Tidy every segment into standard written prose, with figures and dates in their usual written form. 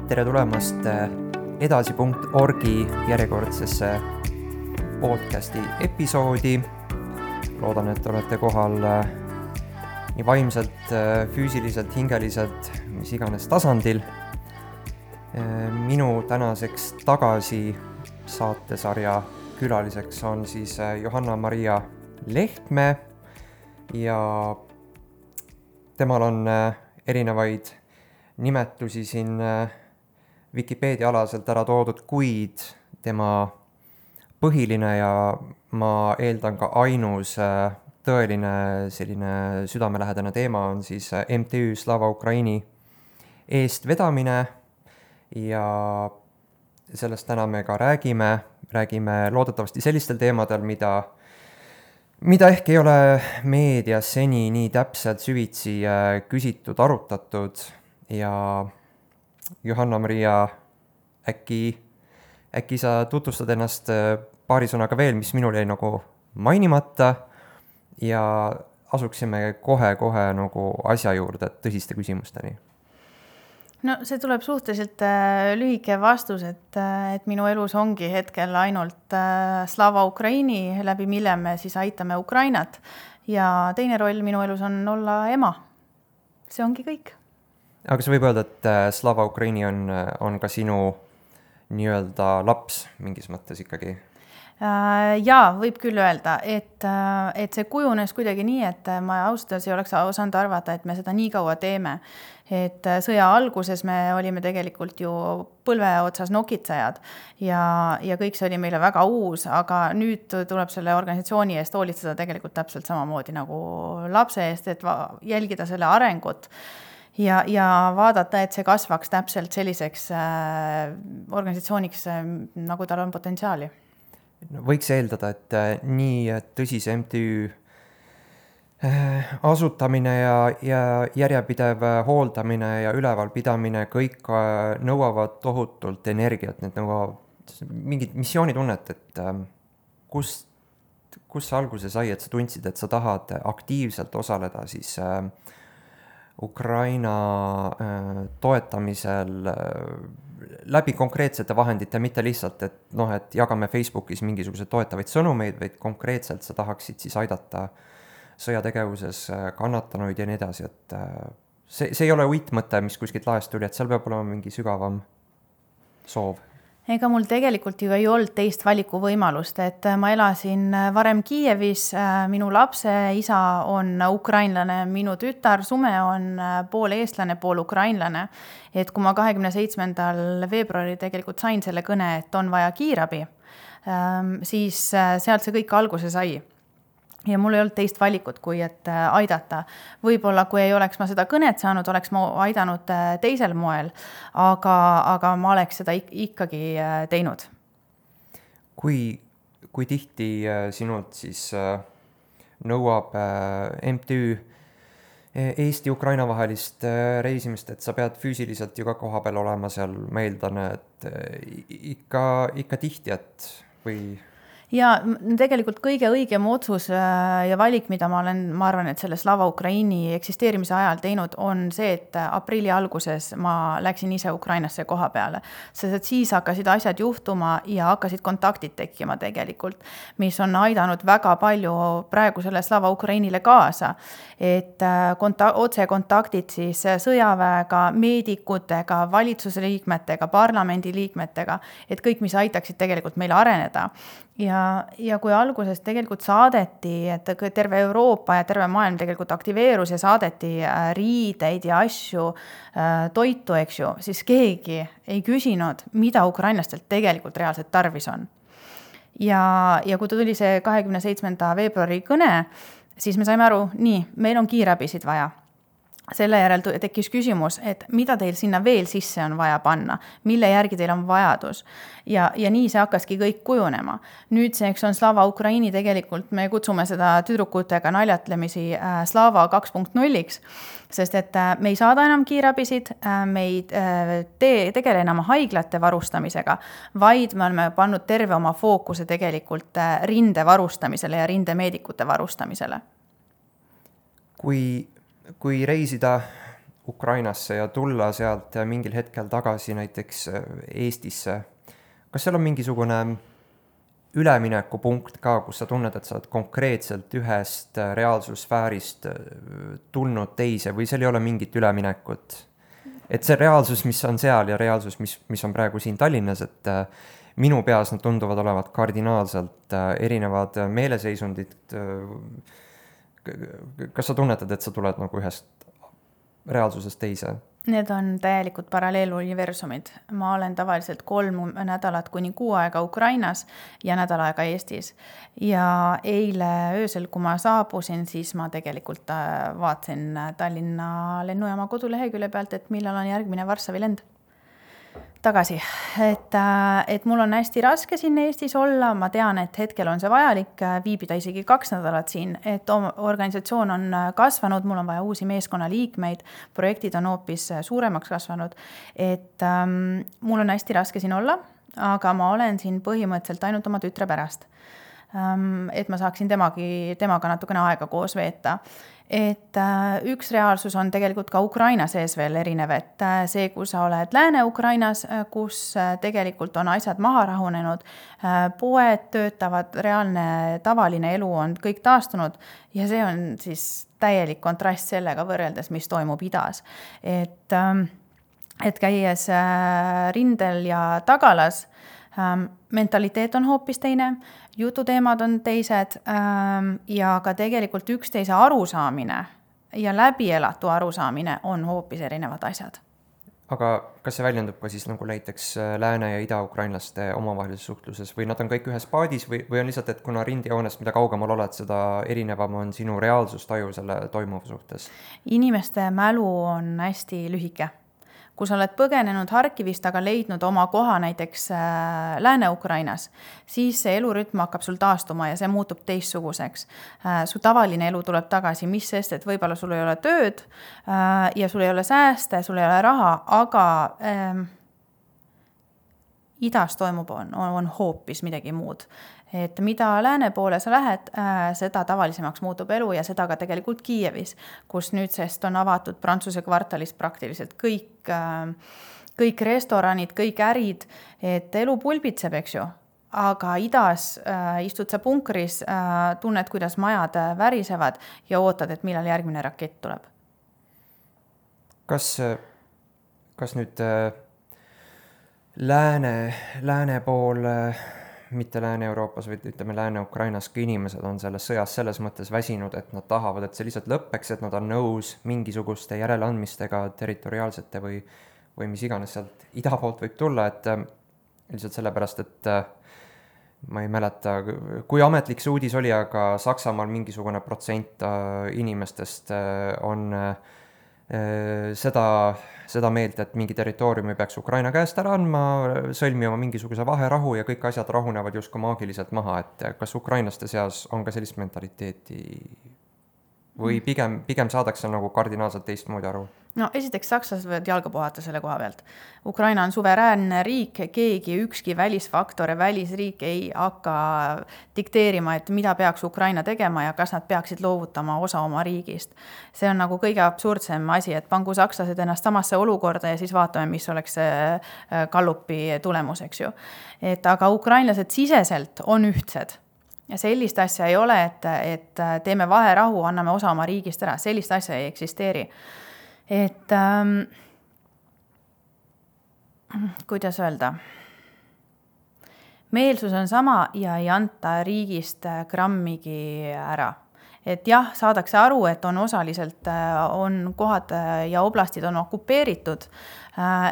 Tere tulemast edasi.orgi järjekordsesse podcasti episoodi. Loodan, et olete kohal nii vaimselt, füüsiliselt, hingeliselt, mis iganes tasandil. Minu tänaseks tagasi saatesarja külaliseks on siis Johanna-Maria Lehtme ja temal on erinevaid nimetusi siin Wikipedia alaselt ära toodud, kuid tema põhiline ja ma eeldan ka ainus tõeline selline südamelähedane teema on siis MTÜ Slava Ukraini eestvedamine ja sellest täna me ka räägime loodetavasti sellistel teemadel, mida ehk ei ole meedias seni nii täpselt süvitsi küsitud, arutatud ja Johanna-Maria, äkki sa tutvustad ennast paari sõnaga veel, mis minul jäi nagu mainimata ja asuksime kohe nagu asja juurde tõsiste küsimusteni. No see tuleb suhteliselt lühike vastus, et minu elus ongi hetkel ainult Slava Ukraini, läbi mille me siis aitame Ukrainat ja teine roll minu elus on olla ema. See ongi kõik. Aga kas võib öelda, et Slava Ukraini on ka sinu nii-öelda laps mingis mõttes ikkagi? Jaa, võib küll öelda, et see kujunes kuidagi nii, et ma ausalt ei oleks osanud arvata, et me seda nii kaua teeme. Et sõja alguses me olime tegelikult ju põlve otsas nokitsejad ja kõik see oli meile väga uus, aga nüüd tuleb selle organisatsiooni eest hoolitseda tegelikult täpselt samamoodi nagu lapse eest, et jälgida selle arengut ja vaadata, et see kasvaks täpselt selliseks organisatsiooniks, nagu tal on potentsiaali. Võiks eeldada, et nii tõsise MTÜ asutamine ja järjepidev hooldamine ja ülevalpidamine kõik nõuavad tohutult energiat, need nõuavad mingit missioonitunnet, et kus see alguse sai, et sa tundsid, et sa tahad aktiivselt osaleda siis Ukraina toetamisel läbi konkreetsete vahendite, mitte lihtsalt, et jagame Facebookis mingisugused toetavaid sõnumeid, vaid konkreetselt sa tahaksid siis aidata sõjategevuses kannatanuid ja nii edasi, et see ei ole uitmõte, mis kuskilt laest tuli, et seal peab olema mingi sügavam soov. Ega mul tegelikult ju ei olnud teist valiku võimalust, et ma elasin varem Kiievis, minu lapse isa on ukrainlane, minu tütar Sume on pool eestlane, pool ukrainlane, et kui ma 27. veebruari tegelikult sain selle kõne, et on vaja kiirabi, siis sealt see kõik alguse sai. Ja mul ei olnud teist valikut, kui et aidata. Võib-olla, kui ei oleks ma seda kõnet saanud, oleks ma aidanud teisel moel, aga ma oleks seda ikkagi teinud. Kui tihti sinult siis nõuab MTÜ Eesti-Ukraina vahelist reisimist, et sa pead füüsiliselt ju ka koha peal olema seal, ma eeldan, et ikka tihti, et või... Ja tegelikult kõige õigem otsus ja valik, mida ma arvan, et selle Slava Ukraini eksisteerimise ajal teinud, on see, et aprilli alguses ma läksin ise Ukrainasse koha peale. Sest et siis hakkasid asjad juhtuma ja hakkasid kontaktid tekkima tegelikult, mis on aidanud väga palju praegu selle Slava Ukrainile kaasa. Et otse kontaktid siis sõjaväega, meedikutega, valitsuse liikmetega, parlamendi liikmetega, et kõik, mis aitaksid tegelikult meile areneda. Ja kui alguses tegelikult saadeti, et terve Euroopa ja terve maailm tegelikult aktiveerus ja saadeti riideid ja asju, toitu, eks ju, siis keegi ei küsinud, mida ukrainlastelt tegelikult reaalselt tarvis on. Ja kui tuli see 27. veebruari kõne, siis me saime aru, nii, meil on kiirabisid vaja. Selle järel tekkis küsimus, et mida teil sinna veel sisse on vaja panna, mille järgi teil on vajadus. Ja nii see hakkaski kõik kujunema. Nüüdseks on Slava Ukraini tegelikult, me kutsume seda tüdrukutega naljatlemisi Slava 2.0-iks, sest et me ei saada enam kiirabisid, me ei tegele enam haiglate varustamisega, vaid me oleme pannud terve oma fookuse tegelikult rinde varustamisele ja rindemeedikute varustamisele. Kui reisida Ukrainasse ja tulla sealt mingil hetkel tagasi näiteks Eestisse, kas seal on mingisugune üleminekupunkt ka, kus sa tunned, et sa oled konkreetselt ühest reaalsussfäärist tulnud teise või seal ei ole mingit üleminekut? Et see reaalsus, mis on seal ja reaalsus, mis on praegu siin Tallinnas, et minu peas nad tunduvad olevat kardinaalselt erinevad meeleseisundid. Kas sa tunnetad, et sa tuled nagu ühest reaalsusest teise? Need on täielikult paralleeluniversumid. Ma olen tavaliselt 3 nädalat kuni 6 aega Ukrainas ja nädal aega Eestis. Ja eile öösel, kui ma saabusin, siis ma tegelikult vaatasin Tallinna lennujaama kodulehekülje pealt, et millal on järgmine Varssavi lend tagasi. Et mul on hästi raske siin Eestis olla, ma tean, et hetkel on see vajalik viibida isegi 2 nädalat siin, et organisatsioon on kasvanud, mul on vaja uusi meeskonnaliikmeid, projektid on hoopis suuremaks kasvanud, et mul on hästi raske siin olla, aga ma olen siin põhimõtteliselt ainult oma tütre pärast. Et ma saaksin temaga natukene aega koos veeta. Et üks reaalsus on tegelikult ka Ukraina sees veel erinev, et see, kui sa oled Lääne-Ukrainas, kus tegelikult on asjad maha rahunenud, poed töötavad, reaalne tavaline elu on kõik taastunud ja see on siis täielik kontrast sellega võrreldes, mis toimub idas. Et käies rindel ja tagalas, mentaliteet on hoopis teine, jututeemad on teised ja ka tegelikult üksteise arusaamine ja läbielatu arusaamine on hoopis erinevad asjad. Aga kas see väljendub ka siis nagu näiteks lääne- ja ida-ukrainlaste omavahelises suhtluses või nad on kõik ühes paadis või on lihtsalt, et kuna rindijoonest, mida kaugemal oled, seda erinevam on sinu reaalsustaju selle toimuva suhtes? Inimeste mälu on hästi lühike. Kui sa oled põgenenud Harkivist, aga leidnud oma koha näiteks Lääne-Ukrainas, siis see elurütm hakkab sul taastuma ja see muutub teistsuguseks. Su tavaline elu tuleb tagasi, mis sest, et võib-olla sul ei ole tööd ja sul ei ole sääste, sul ei ole raha, aga idas toimub on hoopis midagi muud. Et mida lääne poole sa lähed, seda tavalisemaks muutub elu ja seda ka tegelikult Kiievis, kus nüüdsest on avatud Prantsuse kvartalis praktiliselt kõik restoranid, kõik ärid, et elu pulbitseb, eks ju. Aga idas istud sa punkris, tunned, kuidas majad värisevad ja ootad, et millal järgmine rakett tuleb. Kas nüüd lääne pool, mitte Lääne-Euroopas, vaid ütleme Lääne-Ukrainas, kui inimesed on selles sõjas selles mõttes väsinud, et nad tahavad, et see lihtsalt lõppeks, et nad on nõus mingisuguste järeleandmistega territoriaalsete või mis iganes sealt ida poolt võib tulla, et lihtsalt sellepärast, et ma ei mäleta, kui ametlik see uudis oli, aga Saksamaal mingisugune protsent inimestest on seda meelt, et mingi territooriumi peaks Ukraina käest ära andma, sõlmima mingisuguse vaherahu ja kõik asjad rahunevad justkui maagiliselt maha, et kas ukrainlaste seas on ka sellist mentaliteeti või pigem saadakse nagu kardinaalselt teistmoodi aru? No esiteks sakslased võivad jalga puhata selle koha pealt. Ukraina on suveräänne riik, ükski välisfaktor ja välisriik ei hakka dikteerima, et mida peaks Ukraina tegema ja kas nad peaksid loovutama osa oma riigist. See on nagu kõige absurdsem asi, et pangu sakslased ennast samasse olukorda ja siis vaatame, mis oleks Gallupi tulemus, eks ju. Aga ukrainlased siseselt on ühtsed. Ja sellist asja ei ole, et teeme vaherahu, anname osa oma riigist ära. Sellist asja ei eksisteeri. Et kuidas öelda, meelsus on sama ja ei anta riigist grammigi ära. Et jah, saadakse aru, et on osaliselt on kohad ja oblastid on okupeeritud.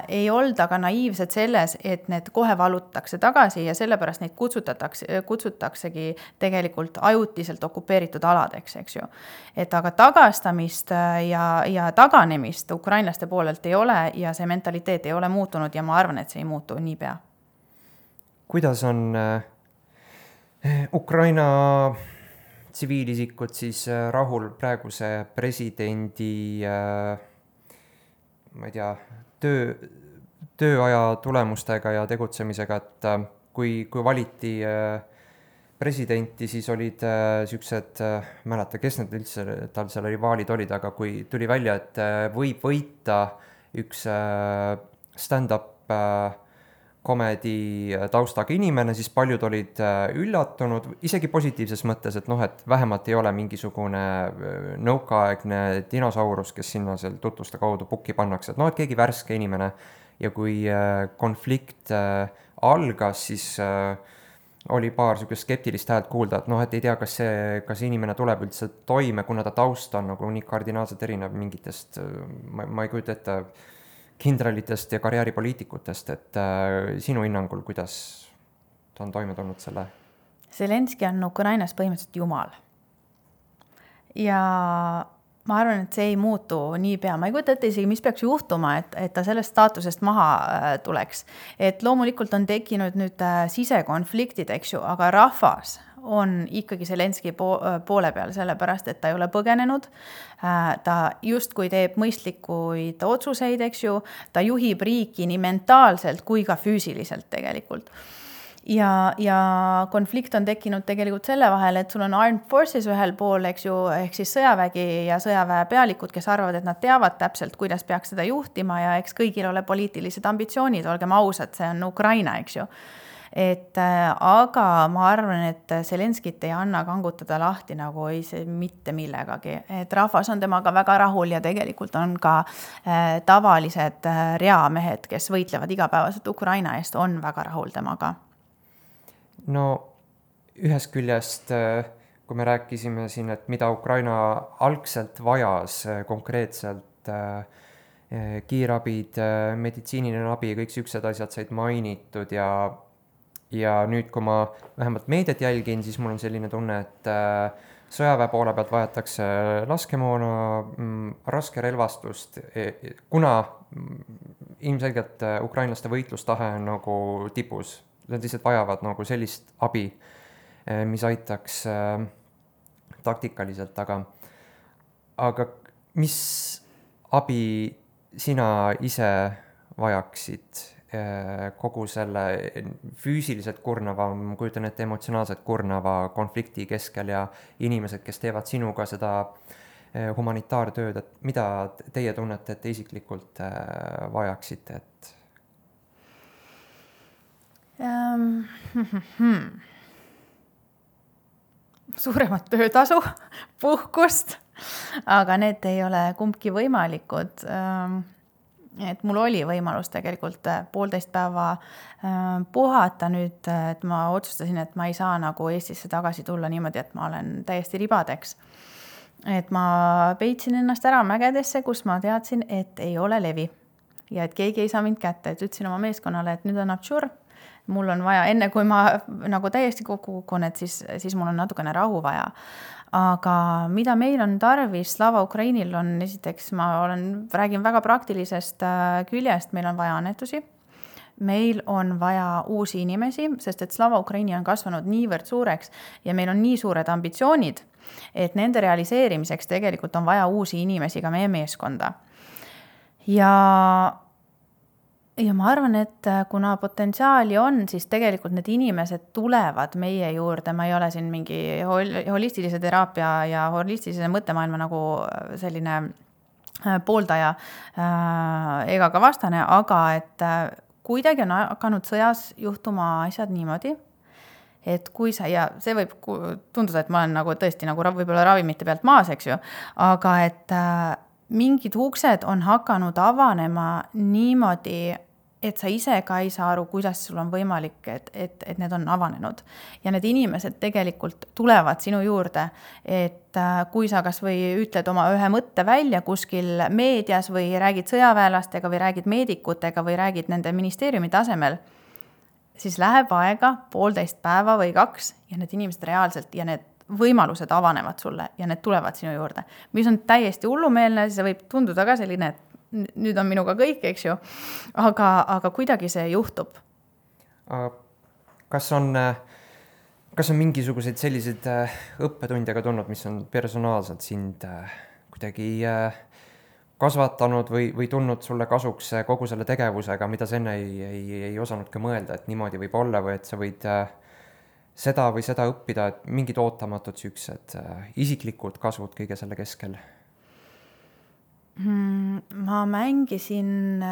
Ei olda ka naiivsed selles, et need kohe valutakse tagasi ja sellepärast neid kutsutaksegi tegelikult ajutiselt okupeeritud aladeks, eks ju. Et aga tagastamist ja taganemist ukrainlaste poolelt ei ole ja see mentaliteet ei ole muutunud ja ma arvan, et see ei muutu niipea. Kuidas on Ukraina tsiviilisikud siis rahul praeguse presidendi ma ei tea, tööaja tulemustega ja tegutsemisega, et kui valiti presidenti, siis olid niisugused, mäleta, kes need üldse tal seal rivaalid olid, aga kui tuli välja, et võib võita üks stand-up komedi taustaga inimene, siis paljud olid üllatunud, isegi positiivses mõttes, et noh, et vähemalt ei ole mingisugune nõukaaegne dinosaurus, kes sinna seal tutvuste kaudu pukki pannakse, et noh, et keegi värske inimene. Ja kui konflikt algas, siis oli paar niisugust skeptilist häält kuulda, et noh, et ei tea, kas inimene tuleb üldse toime, kuna ta taust on nagu nii kardinaalselt erinev mingitest, ma ei kujuta ette, kindralitest ja karjääripoliitikutest, et sinu hinnangul, kuidas ta on toime tulnud selle? Zelenski on Ukrainas põhimõtteliselt jumal. Ja ma arvan, et see ei muutu niipea. Ma ei kujuta ette isegi, mis peaks juhtuma, et ta sellest staatusest maha tuleks. Et loomulikult on tekkinud nüüd sisekonfliktid, eks ju, aga rahvas on ikkagi Zelenski poole peal, sellepärast, et ta ei ole põgenenud. Ta justkui teeb mõistlikuid otsuseid, eks ju. Ta juhib riiki nii mentaalselt kui ka füüsiliselt tegelikult. Ja konflikt on tekkinud tegelikult selle vahel, et sul on Armed Forces ühel pool, eks ju, ehk siis sõjavägi ja sõjaväe pealikud, kes arvavad, et nad teavad täpselt, kuidas peaks seda juhtima ja eks kõigil ole poliitilised ambitsioonid, olgem ausad, see on Ukraina, eks ju. Aga ma arvan, et Zelenskit ei anna kangutada lahti nagu ei see mitte millegagi. Et rahvas on temaga väga rahul ja tegelikult on ka tavalised reamehed, kes võitlevad igapäevaselt Ukraina eest, on väga rahul temaga. No ühest küljest, kui me rääkisime siin, et mida Ukraina algselt vajas konkreetselt, kiirabid, meditsiiniline abi, kõik siuksed asjad said mainitud ja nüüd, kui ma vähemalt meediat jälgin, siis mul on selline tunne, et sõjaväe poole pealt vajatakse laskemoona, raske relvastust, kuna ilmselgelt ukrainlaste võitlustahe on nagu tipus. Nad lihtsalt vajavad nagu sellist abi, mis aitaks taktikaliselt, aga mis abi sina ise vajaksid kogu selle füüsiliselt kurnava, ma kujutan ette emotsionaalselt kurnava konflikti keskel ja inimesed, kes teevad sinuga seda humanitaartööd, et mida teie tunnete, et te isiklikult vajaksite, et suuremat töötasu, puhkust, aga need ei ole kumbki võimalikud. Et mul oli võimalus tegelikult 1,5 päeva puhata nüüd, et ma otsustasin, et ma ei saa nagu Eestisse tagasi tulla niimoodi, et ma olen täiesti ribadeks. Et ma peitsin ennast ära mägedesse, kus ma teadsin, et ei ole levi ja et keegi ei saa mind kätte, et ütlesin oma meeskonnale, et nüüd on absur. Mul on vaja, enne kui ma nagu täiesti kokku kukun, et siis mul on natukene rahu vaja. Aga mida meil on tarvis, Slava Ukrainil on esiteks, räägin väga praktilisest küljest, meil on vaja annetusi. Meil on vaja uusi inimesi, sest et Slava Ukraini on kasvanud niivõrd suureks ja meil on nii suured ambitsioonid, et nende realiseerimiseks tegelikult on vaja uusi inimesi ka meie meeskonda. Ja ma arvan, et kuna potentsiaali on, siis tegelikult need inimesed tulevad meie juurde. Ma ei ole siin mingi holistilise teraapia ja holistilise mõttemaailma nagu selline pooldaja ega ka vastane, aga et kuidagi on hakanud sõjas juhtuma asjad niimoodi, et kui ja see võib tunduda, et ma olen nagu tõesti nagu võib-olla ravimite pealt maas, eks ju, aga et mingid uksed on hakanud avanema niimoodi, et sa ise ka ei saa aru, kuidas sul on võimalik, et need on avanenud. Ja need inimesed tegelikult tulevad sinu juurde, et kui sa kas või ütled oma ühe mõtte välja kuskil meedias või räägid sõjaväelastega või räägid meedikutega või räägid nende ministeeriumi tasemel, siis läheb aega 1,5 päeva või 2 ja need inimesed reaalselt ja need võimalused avanevad sulle ja need tulevad sinu juurde. Mis on täiesti hullumeelne, see võib tunduda ka selline, et nüüd on minuga kõik, eks ju, aga kuidagi see juhtub. Kas on mingisuguseid selliseid õppetundjaga tulnud, mis on personaalselt sind kuidagi kasvatanud või tulnud sulle kasuks kogu selle tegevusega, mida sa enne ei osanud ka mõelda, et niimoodi võib olla või et sa võid seda või seda õppida, et mingid ootamatud siuksed isiklikud kasvud kõige selle keskel? Ma mängisin,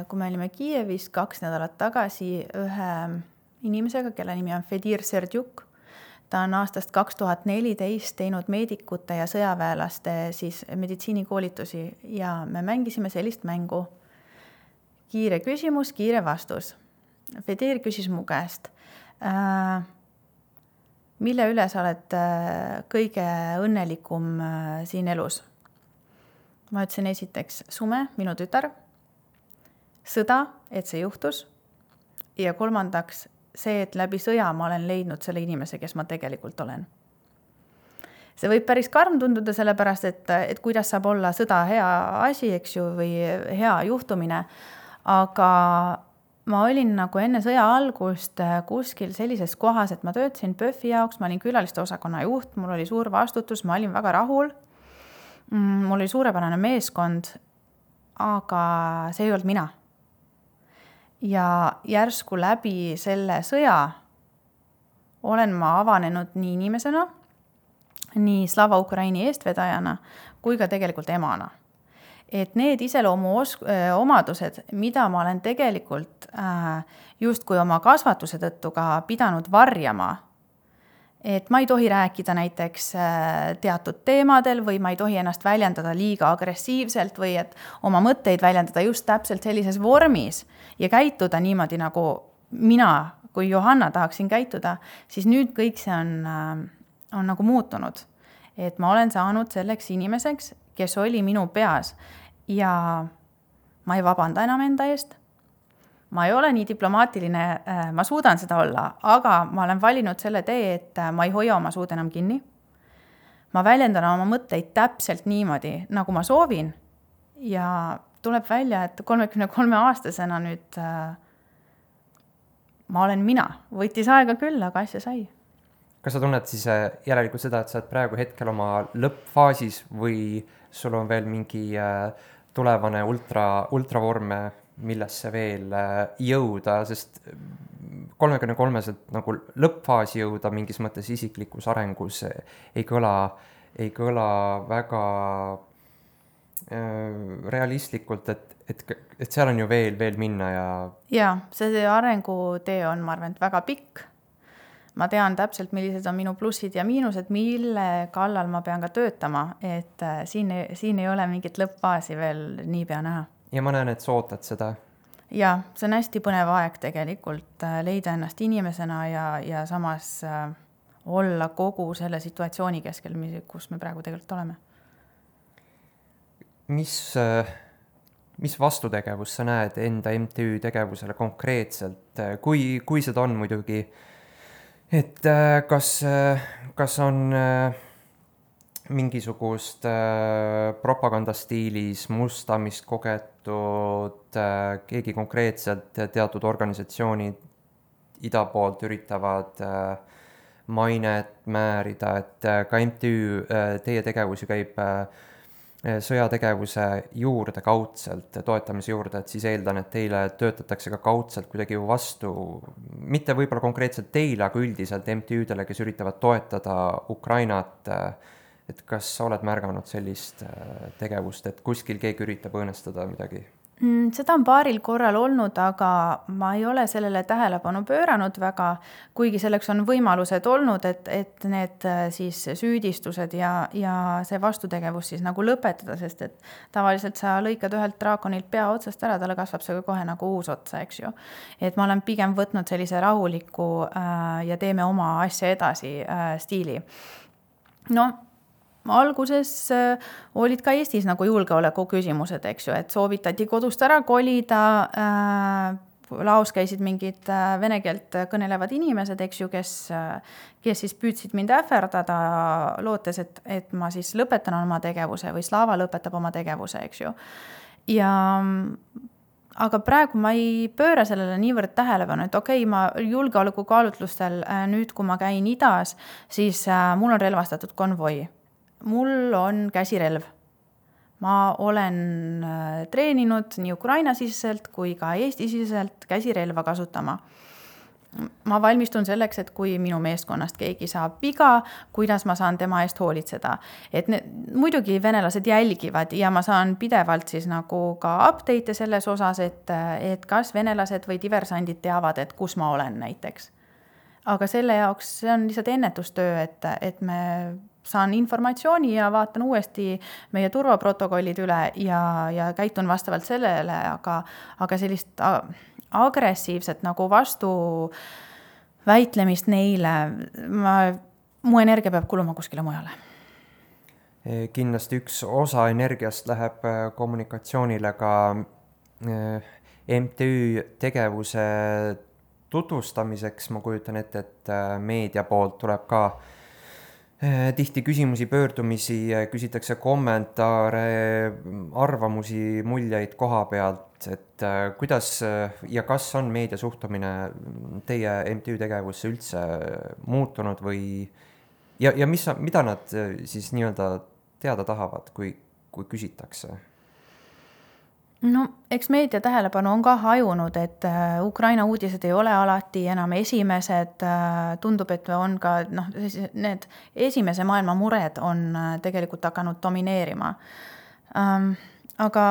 kui me olime Kiievis 2 nädalat tagasi ühe inimesega, kelle nimi on Fedir Serdjuk. Ta on aastast 2014 teinud meedikute ja sõjaväelaste siis meditsiinikoolitusi ja me mängisime sellist mängu. Kiire küsimus, kiire vastus. Fedir küsis mu käest, mille üle sa oled kõige õnnelikum siin elus? Ma ütlesin esiteks Sume, minu tütar, sõda, et see juhtus ja kolmandaks see, et läbi sõja ma olen leidnud selle inimese, kes ma tegelikult olen. See võib päris karm tunduda sellepärast, et kuidas saab olla sõda hea asi, eks ju, või hea juhtumine, aga ma olin nagu enne sõja algust kuskil sellises kohas, et ma töötasin PÖFFi jaoks, ma olin külaliste osakonna juht, mul oli suur vastutus, ma olin väga rahul, mul oli suurepärane meeskond, aga see ei olnud mina. Ja järsku läbi selle sõja olen ma avanenud nii inimesena, nii Slava Ukraini eestvedajana, kui ka tegelikult emana. Et need iseloomu omadused, mida ma olen tegelikult justkui oma kasvatuse tõttu ka pidanud varjama, et ma ei tohi rääkida näiteks teatud teemadel või ma ei tohi ennast väljendada liiga agressiivselt või et oma mõtteid väljendada just täpselt sellises vormis ja käituda niimoodi, nagu mina kui Johanna tahaksin käituda, siis nüüd kõik see on nagu muutunud. Et ma olen saanud selleks inimeseks, kes oli minu peas ja ma ei vabanda enam enda eest. Ma ei ole nii diplomaatiline, ma suudan seda olla, aga ma olen valinud selle tee, et ma ei hoia oma suud enam kinni. Ma väljendan oma mõtteid täpselt niimoodi, nagu ma soovin ja tuleb välja, et 33-aastasena nüüd ma olen mina. Võttis aega küll, aga asja sai. Kas sa tunned siis järelikult seda, et sa oled praegu hetkel oma lõppfaasis või sul on veel mingi tulevane ultravorme, millesse veel jõuda, sest 33-selt nagu lõppfaasi jõuda mingis mõttes isiklikus arengus ei kõla väga realistlikult, et seal on ju veel minna ja see arengutee on, ma arvan, väga pikk. Ma tean täpselt, millised on minu plussid ja miinused, mille kallal ma pean ka töötama, et siin ei ole mingit lõppfaasi veel niipea näha. Ja ma näen, et sa ootad seda. Ja, see on hästi põnev aeg tegelikult leida ennast inimesena ja samas olla kogu selle situatsiooni keskel, kus me praegu tegelikult oleme. Mis vastutegevus sa näed enda MTÜ tegevusele konkreetselt? Kui seda on muidugi, et kas on mingisugust propagandastiilis mustamist kogetud, keegi konkreetselt teatud organisatsioonid ida poolt üritavad mainet määrida, et ka MTÜ teie tegevus ju käib sõjategevuse juurde kaudselt, toetamise juurde, et siis eeldan, et teile töötatakse ka kaudselt kuidagi ju vastu, mitte võib-olla konkreetselt teile, aga üldiselt MTÜ-dele, kes üritavad toetada Ukrainat. Et kas sa oled märganud sellist tegevust, et kuskil keegi üritab õõnestada midagi? Seda on paaril korral olnud, aga ma ei ole sellele tähelepanu pööranud väga, kuigi selleks on võimalused olnud, et need siis süüdistused ja see vastutegevus siis nagu lõpetada, sest et tavaliselt sa lõikad ühelt draakonilt pea otsast ära, talle kasvab see kohe nagu uus otsa, eks ju. Et ma olen pigem võtnud sellise rahuliku ja teeme oma asja edasi stiili. Alguses olid ka Eestis nagu julgeoleku küsimused, eks ju, et soovitati kodust ära kolida, laos käisid mingid vene keelt kõnelevad inimesed, eks ju, kes siis püüdsid mind ähverdada, lootes, et ma siis lõpetan oma tegevuse või Slava lõpetab oma tegevuse, eks ju. Aga praegu ma ei pööra sellele niivõrd tähelepanu, et ma julgeoleku kaalutlustel nüüd, kui ma käin idas, siis mul on relvastatud konvoi. Mul on käsirelv. Ma olen treeninud nii Ukraina siseselt kui ka Eesti siseselt käsirelva kasutama. ma valmistun selleks, et kui minu meeskonnast keegi saab viga, kuidas ma saan tema eest hoolitseda. Et muidugi venelased jälgivad ja ma saan pidevalt siis nagu ka update'e selles osas, et kas venelased või diversandid teavad, et kus ma olen näiteks. Aga selle jaoks see on lihtsalt ennetustöö, et me saan informatsiooni ja vaatan uuesti meie turvaprotokollid üle ja käitun vastavalt sellele, aga sellist agressiivset nagu vastu väitlemist neile, mu energia peab kuluma kuskile mujale. Kindlasti üks osa energiast läheb kommunikatsioonile ka MTÜ tegevuse tutvustamiseks. Ma kujutan ette, et meedia poolt tuleb ka tihti küsimusi, pöördumisi, küsitakse kommentaare, arvamusi, muljeid koha pealt, et kuidas ja kas on meedia suhtumine teie MTÜ tegevusse üldse muutunud või ja mida nad siis nii-öelda teada tahavad, kui küsitakse? No, eks meedia tähelepanu on ka hajunud, et Ukraina uudised ei ole alati enam esimesed, tundub, et on ka need esimese maailma mured on tegelikult hakanud domineerima. Aga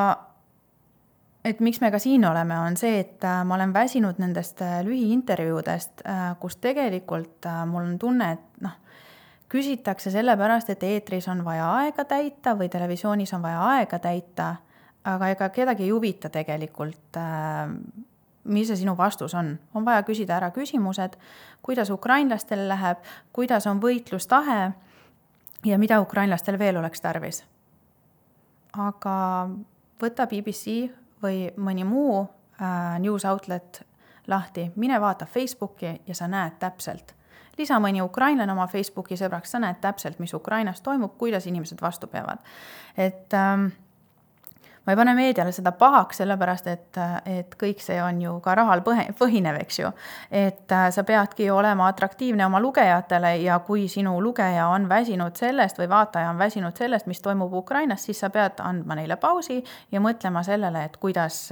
et miks me ka siin oleme, on see, et ma olen väsinud nendest lühiintervjuudest, kus tegelikult mul on tunne, et küsitakse sellepärast, et eetris on vaja aega täita või televisioonis on vaja aega täita, aga ega kedagi ei huvita tegelikult, mis see sinu vastus on. On vaja küsida ära küsimused, kuidas ukrainlastel läheb, kuidas on võitlustahe ja mida ukrainlastel veel oleks tarvis. Aga võta BBC või mõni muu news outlet lahti, mine vaata Facebooki ja sa näed täpselt. Lisa mõni ukrainlane oma Facebooki sõbraks, sa näed täpselt, mis Ukrainas toimub, kuidas inimesed vastu peavad. Et ma ei pane meediale seda pahaks, sellepärast, et kõik see on ju ka rahal põhinev, eks ju. Et sa peadki olema atraktiivne oma lugejatele ja kui sinu lugeja on väsinud sellest või vaataja on väsinud sellest, mis toimub Ukrainas, siis sa pead andma neile pausi ja mõtlema sellele, et kuidas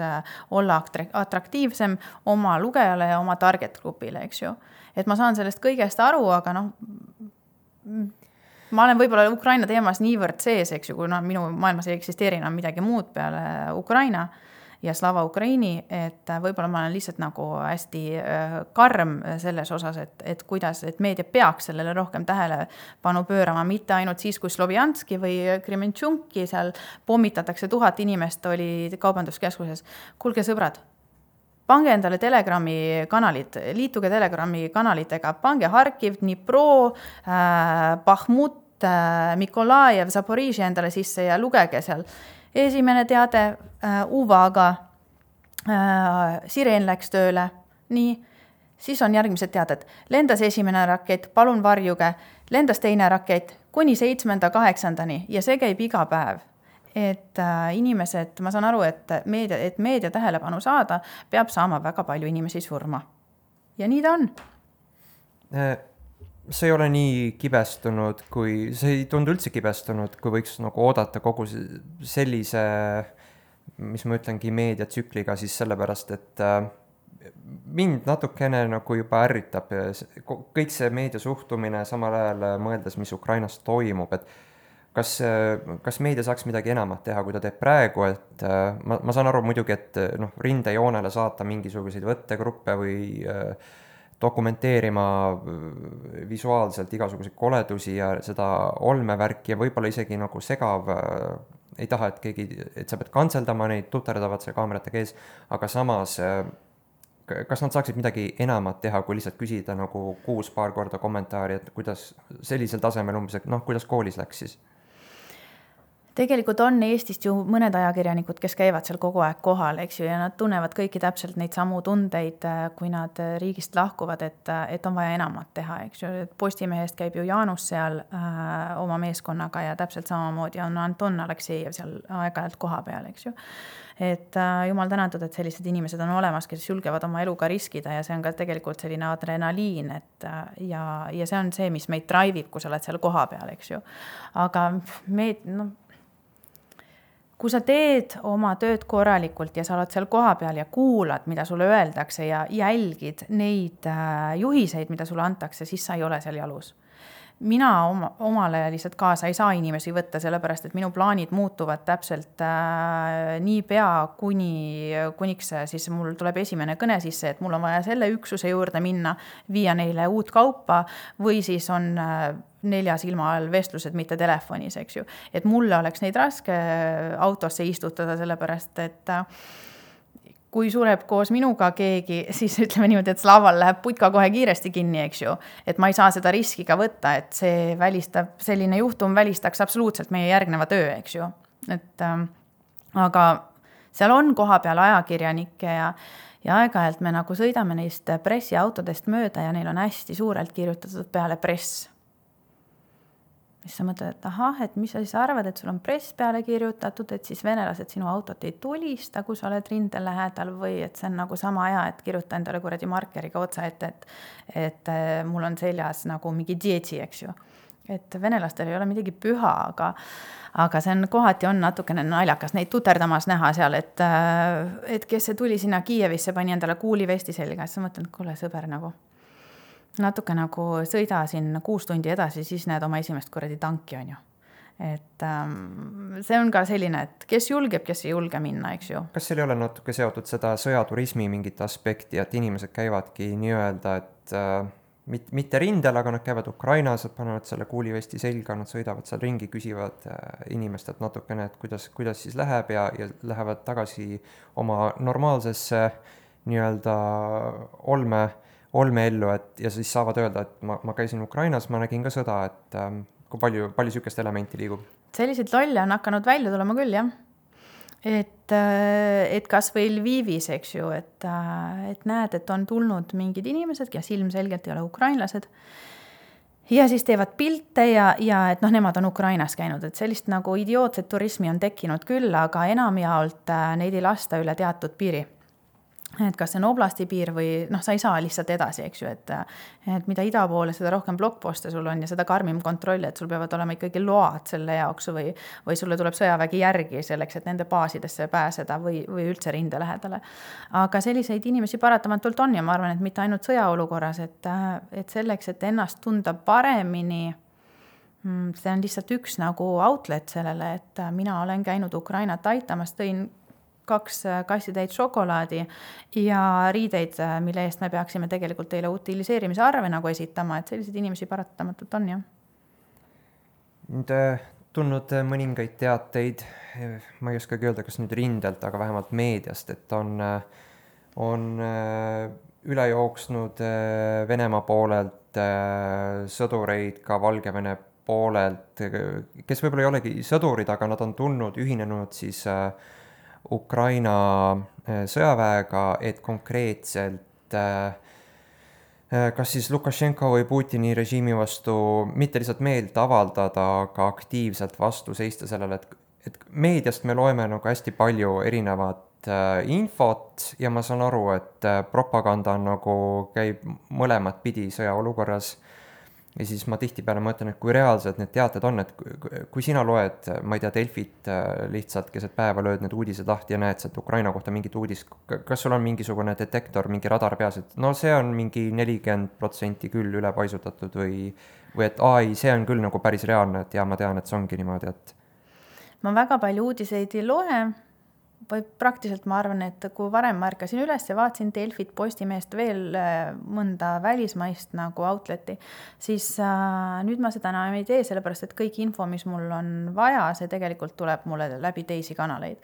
olla atraktiivsem oma lugejale ja oma target grupile, eks ju. Et ma saan sellest kõigest aru, aga ma olen võib-olla Ukraina teemas niivõrd sees, eks ju, kui minu maailmas ei eksisteeri enam midagi muud peale Ukraina ja Slava Ukraini, et võib-olla ma olen lihtsalt nagu hästi karm selles osas, et kuidas, et meedia peaks sellele rohkem tähelepanu pöörama, mitte ainult siis, kui Slovjanski või Krementšunki seal pommitatakse 1000 inimest oli kaubanduskeskuses. Kuulge sõbrad, pange endale Telegrami kanalid, liituge Telegrami kanalitega, pange Harkiv, Dnipro, Bahmut, Mikolajev, Zaporižje endale sisse ja lugege seal. Esimene teade, Uvaga, Sireen läks tööle, nii, siis on järgmised teaded. Lendas esimene rakett, palun varjuge, lendas teine rakett, kuni 7.–8. ja see käib iga päev. Et inimesed, ma saan aru, et meedia tähelepanu saada, peab saama väga palju inimesi surma. Ja nii ta on. See ei ole nii kibestunud, see ei tundu üldse kibestunud, kui võiks nagu oodata kogu sellise, mis ma ütlengi, meediatsükliga siis sellepärast, et mind natukene nagu juba ärritab kõik see meedia suhtumine, samal ajal mõeldes, mis Ukrainas toimub, et kas meedia saaks midagi enamat teha, kui ta teeb praegu, et ma saan aru muidugi, et rindejoonele saata mingisuguseid võttegruppe või dokumenteerima visuaalselt igasuguseid koledusi ja seda olmevärki ja võib-olla isegi nagu segav, ei taha, et sa pead kantseldama neid, tuterdavad see kaameratega ees, aga samas, kas nad saaksid midagi enamat teha, kui lihtsalt küsida nagu 6 paar korda kommentaari, et kuidas sellisel tasemel umbes, et kuidas koolis läks siis? Tegelikult on Eestist ju mõned ajakirjanikud, kes käivad seal kogu aeg kohal, eks ju, ja nad tunnevad kõiki täpselt neid samu tundeid, kui nad riigist lahkuvad, et on vaja enamat teha, eks ju. Postimehest käib ju Jaanus seal oma meeskonnaga ja täpselt samamoodi on Anton Aleksejev seal aeg-ajalt koha peal, eks ju. Et jumal tänatud, et sellised inimesed on olemas, kes julgevad oma eluga riskida ja see on ka tegelikult selline adrenaliin, ja see on see, mis meid drive'ib, kui sa oled seal koha peal, eks ju. Aga kui sa teed oma tööd korralikult ja sa oled seal kohapeal ja kuulad, mida sulle öeldakse ja jälgid neid juhiseid, mida sulle antakse, siis sa ei ole seal jalus. Mina omale lihtsalt kaasa ei saa inimesi võtta, sellepärast et minu plaanid muutuvad täpselt niipea, kuniks siis mul tuleb esimene kõne sisse, et mul on vaja selle üksuse juurde minna, viia neile uut kaupa või siis on 4 silma all vestlused, mitte telefonis, eks ju. Et mulle oleks neid raske autosse istutada, sellepärast et kui sureb koos minuga keegi, siis ütleme niimoodi, et Slaval läheb putka kohe kiiresti kinni, eks ju. Et ma ei saa seda riski ka võtta, et selline juhtum välistaks absoluutselt meie järgneva töö, eks ju. Aga seal on koha peal ajakirjanikke ja aeg-ajalt me nagu sõidame neist pressiautodest mööda ja neil on hästi suurelt kirjutatud peale press. Siis sa mõtled, et ahah, et mis sa siis arvad, et sul on press peale kirjutatud, et siis venelased sinu autot ei tulista, kui sa oled rindel lähedal või et see on nagu sama hea, et kirjuta endale kuradi markeriga otsa, et mul on seljas nagu mingi dieti, eks ju. Et venelastel ei ole midagi püha, aga see on kohati on natukene naljakas neid tuterdamas näha seal, et kes see tuli sinna Kiievisse, pani endale kuulivesti selga, siis sa mõtled, kuule sõber nagu. Natuke nagu sõida siin 6 tundi edasi, siis näed oma esimest kuradi tanki, on ju. Et see on ka selline, et kes julgeb, kes ei julge minna, eks ju. Kas seal ei ole natuke seotud seda sõjaturismi mingit aspekti, et inimesed käivadki nii-öelda, et mitte rindel, aga nad käivad Ukrainas, et panevad selle kuulivesti selga, nad sõidavad seal ringi, küsivad inimestelt natukene, et kuidas siis läheb ja lähevad tagasi oma normaalsesse nii-öelda olmeellu, ja siis saavad öelda, et ma käisin Ukrainas, ma nägin ka sõda, et kui palju sükest elementi liigub. Selliseid lolle on hakanud välja tulema küll, jah. Et kas või Lvivis, eks ju, et näed, et on tulnud mingid inimesed, kes ilmselgelt ei ole ukrainlased, ja siis teevad pilte ja et nemad on Ukrainas käinud, et sellist nagu idiootset turismi on tekkinud küll, aga enamjaolt neid ei lasta üle teatud piiri. Et kas see on oblasti piir või sa ei saa lihtsalt edasi, eks ju, et mida ida poole, seda rohkem blokkposte sul on ja seda karmim kontrolli, et sul peavad olema ikkagi load selle jaoks või sulle tuleb sõjavägi järgi selleks, et nende baasidesse pääseda või üldse rinde lähedale. Aga selliseid inimesi paratamatult on ja ma arvan, et mitte ainult sõjaolukorras, et selleks, et ennast tunda paremini, see on lihtsalt üks nagu outlet sellele, et mina olen käinud Ukrainat aitamas, tõin 2 kassitäit šokolaadi ja riideid, mille eest me peaksime tegelikult teile utiliseerimise arve nagu esitama, et selliseid inimesi paratamatult on, jah. Nüüd tulnud mõningaid teateid, ma ei oskagi öelda, kas nüüd rindelt, aga vähemalt meediast, et on üle jooksnud Venemaa poolelt sõdureid ka Valgevene poolelt, kes võib-olla ei olegi sõdurid, aga nad on ühinenud siis Ukraina sõjaväega, et konkreetselt kas siis Lukašenko või Putini režiimi vastu mitte lihtsalt meelt avaldada, aga aktiivselt vastu seista sellele, et meediast me loeme nagu hästi palju erinevat infot ja ma saan aru, et propaganda nagu käib mõlemat pidi sõjaolukorras. Ja siis ma tihtipeale mõtlen, et kui reaalsed need teated on, et kui sina loed, ma ei tea, Delfit lihtsalt keset päeva lööd need uudised lahti ja näed sealt Ukraina kohta mingit uudist, kas sul on mingisugune detektor, mingi radar peas, et no see on mingi 40% küll üle paisutatud või et ei, see on küll nagu päris reaalne, et ja ma tean, et see ongi niimoodi, et ma väga palju uudiseid ei loe, või praktiliselt ma arvan, et kui varem ma ärkasin üles ja vaatasin Delfit, Postimeest veel mõnda välismaist nagu outleti, siis nüüd ma seda enam ei tee, sellepärast et kõik info, mis mul on vaja, see tegelikult tuleb mulle läbi teisi kanaleid.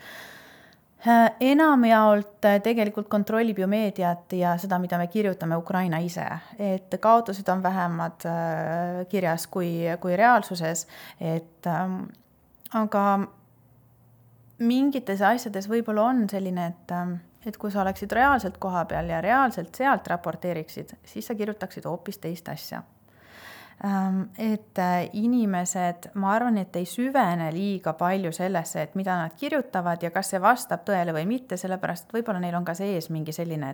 Enamjaolt tegelikult kontrollib ju meediat ja seda, mida me kirjutame Ukraina ise, et kaotused on vähemad kirjas kui reaalsuses, aga mingites asjades võib-olla on selline, et kui sa oleksid reaalselt koha peal ja reaalselt sealt raporteeriksid, siis sa kirjutaksid hoopis teist asja. Et inimesed, ma arvan, et ei süvene liiga palju sellesse, et mida nad kirjutavad ja kas see vastab tõele või mitte, sellepärast et võib-olla neil on ka sees mingi selline,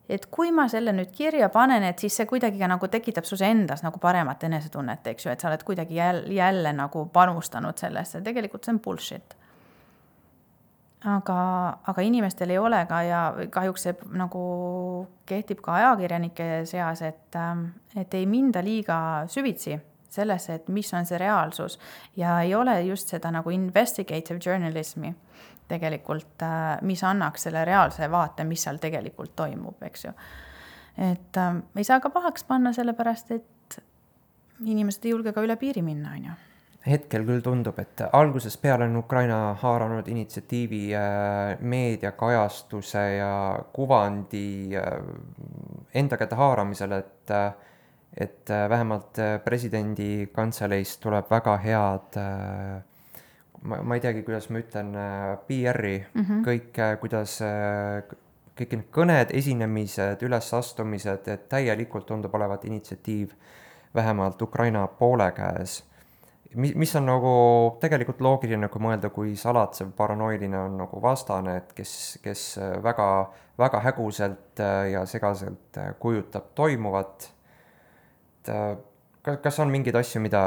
et kui ma selle nüüd kirja panen, et siis see kuidagi ka nagu tekitab sus endas nagu paremat enesetunnet, eks ju, et sa oled kuidagi jälle nagu panustanud sellesse, tegelikult see on bullshit. Aga inimestel ei ole ka ja kahjuks see nagu kehtib ka ajakirjanike seas, et ei minda liiga süvitsi sellesse, et mis on see reaalsus ja ei ole just seda nagu investigative journalismi tegelikult, mis annaks selle reaalse vaate, mis seal tegelikult toimub, eks ju. Et ei saa ka pahaks panna sellepärast, et inimesed ei julge ka üle piiri minna, on ju. Hetkel küll tundub, et algusest peale on Ukraina haaranud initsiatiivi meediakajastuse ja kuvandi enda kätte haaramisel, et vähemalt presidendi kantseleist tuleb väga head, ma ei teagi, kuidas ma ütlen, PR-i, kõik, kuidas kõik need kõned, esinemised, ülesastumised, et täielikult tundub olevat initsiatiiv vähemalt Ukraina poole käes. Mis on nagu tegelikult loogiline, kui mõelda, kui salatsev paranoiline on nagu vastane, et kes väga, väga häguselt ja segaselt kujutab toimuvat. Kas on mingeid asju, mida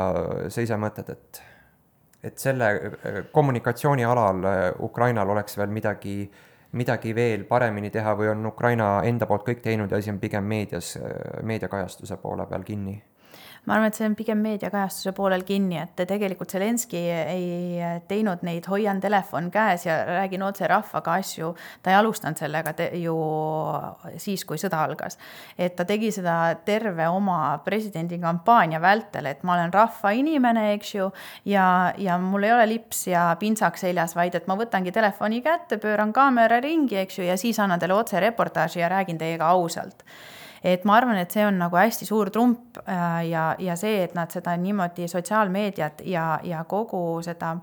sa ise mõtled, et selle kommunikatsiooni alal Ukrainal oleks veel midagi veel paremini teha või on Ukraina enda poolt kõik teinud ja asi on pigem meediakajastuse poole peal kinni? Ma arvan, et see on pigem meediakajastuse poolel kinni, et tegelikult Zelenski ei teinud neid hoian telefon käes ja räägin otse rahvaga asju. Ta ei alustanud sellega ju siis, kui sõda algas. Et ta tegi seda terve oma presidendi kampaania vältel, et ma olen rahva inimene, eks ju, ja mul ei ole lips ja pintsaks seljas, vaid et ma võtangi telefoni kätte, pööran kaamera ringi, eks ju, ja siis annan teile otse reportaaži ja räägin teiega ausalt. Et ma arvan, et see on nagu hästi suur trump ja see, et nad seda niimoodi sotsiaalmeediat ja kogu seda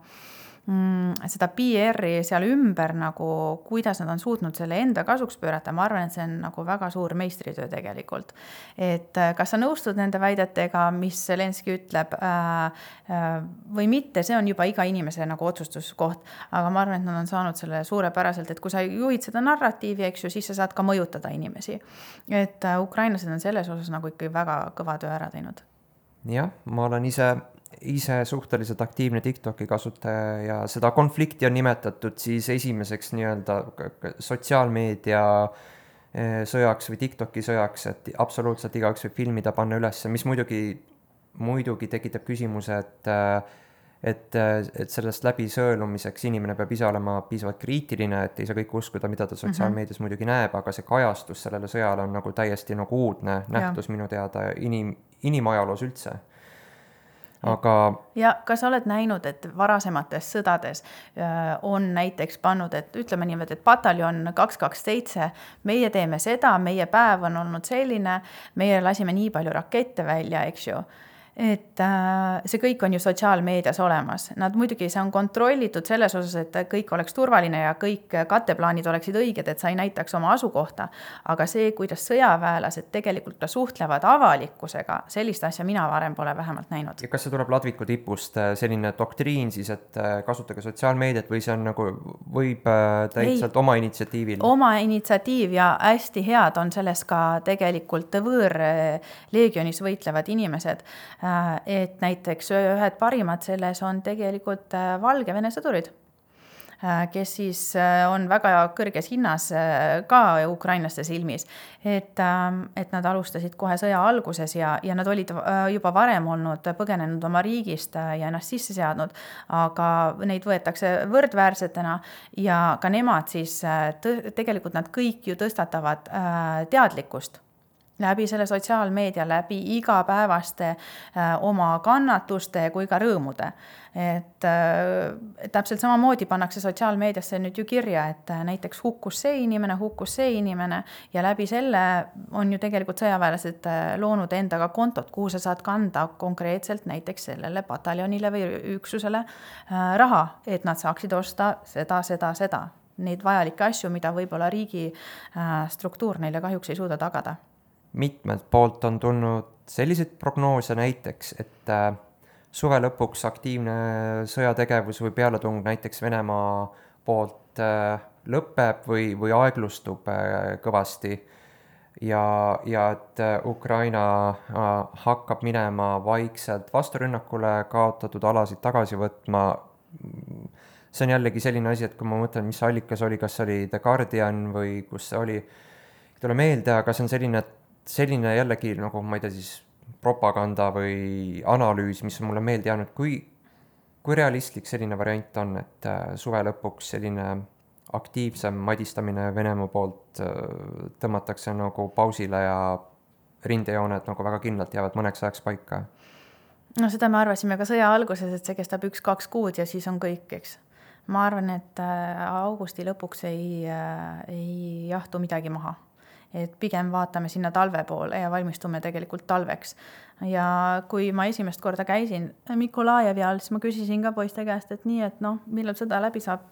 PR-i seal ümber nagu, kuidas nad on suutnud selle enda kasuks pöörata, ma arvan, et see on nagu väga suur meistritöö tegelikult. Et kas sa nõustud nende väidetega, mis Zelenski ütleb või mitte, see on juba iga inimese nagu otsustuskoht, aga ma arvan, et nad on saanud selle suurepäraselt, et kui sa juhid seda narratiivi, eks ju, siis sa saad ka mõjutada inimesi. Et ukrainlased on selles osas nagu ikkagi väga kõva töö ära teinud. Jah, ma olen ise suhteliselt aktiivne TikToki kasutaja ja seda konflikti on nimetatud siis esimeseks nii-öelda sotsiaalmeedia sõjaks või TikToki sõjaks, et absoluutselt igaüks võib filmida, panna üles, mis muidugi tekitab küsimuse, et sellest läbi sõelumiseks inimene peab ise olema piisavalt kriitiline, et ei saa kõik uskuda, mida ta sotsiaalmeedias muidugi näeb, aga see kajastus sellele sõjale on nagu täiesti nagu uudne nähtus minu teada inimajaloos üldse. Aga... Ja kas oled näinud, et varasemates sõdades on näiteks pannud, et ütleme niimoodi, et pataljon 227, meie teeme seda, meie päev on olnud selline, meie lasime nii palju rakette välja, eks ju. Et see kõik on ju sotsiaalmeedias olemas. Nad muidugi, see on kontrollitud selles osas, et kõik oleks turvaline ja kõik katteplaanid oleksid õiged, et sa ei näitaks oma asukohta. Aga see, kuidas sõjaväelased tegelikult ka suhtlevad avalikkusega, sellist asja mina varem pole vähemalt näinud. Ja kas see tuleb ladviku tipust selline doktriin siis, et kasutage sotsiaalmeediat või see on nagu, võib täitselt oma initsiatiivil? Oma initsiatiiv ja hästi head on selles ka tegelikult võõrleegionis võitlevad inimesed. Et näiteks ühed parimad selles on tegelikult Valgevene sõdurid, kes siis on väga kõrges hinnas ka ukrainlaste silmis. Et nad alustasid kohe sõja alguses ja nad olid juba varem olnud põgenenud oma riigist ja ennast sisse seadnud, aga neid võetakse võrdväärsetena ja ka nemad siis, tegelikult nad kõik ju tõstatavad teadlikkust läbi selle sotsiaalmeedia, läbi igapäevaste oma kannatuste kui ka rõõmude. Et täpselt samamoodi pannakse sotsiaalmeediasse nüüd ju kirja, et näiteks hukkus see inimene ja läbi selle on ju tegelikult sõjaväelased loonud endaga kontot, kuhu sa saad kanda konkreetselt näiteks sellele pataljonile või üksusele raha, et nad saaksid osta seda. Neid vajalikke asju, mida võib-olla riigi struktuur neile kahjuks ei suuda tagada. Mitmelt poolt on tulnud selliseid prognoose näiteks, et suve lõpuks aktiivne sõjategevus või pealetung näiteks Venemaa poolt lõpeb või aeglustub kõvasti. ja et Ukraina hakkab minema vaikselt vasturünnakule, kaotatud alasid tagasi võtma. See on jällegi selline asi, et kui ma mõtlen, mis allikas oli, kas oli The Guardian või kus see oli, ei tule meelde, aga see on selline jällegi nagu, ma ei tea siis, propaganda või analüüs, mis on mulle meelde jäänud, kui realistlik selline variant on, et suve lõpuks selline aktiivsem madistamine Venemaa poolt tõmmatakse nagu pausile ja rindejooned nagu väga kindlalt jäävad mõneks ajaks paika. No seda me arvasime ka sõja alguses, et see kestab 1-2 kuud ja siis on kõik, eks. Ma arvan, et augusti lõpuks ei jahtu midagi maha. Et pigem vaatame sinna talve poole ja valmistume tegelikult talveks. Ja kui ma esimest korda käisin Mikolajevi all, siis ma küsisin ka poiste käest, et nii, et noh, millal sõda läbi saab?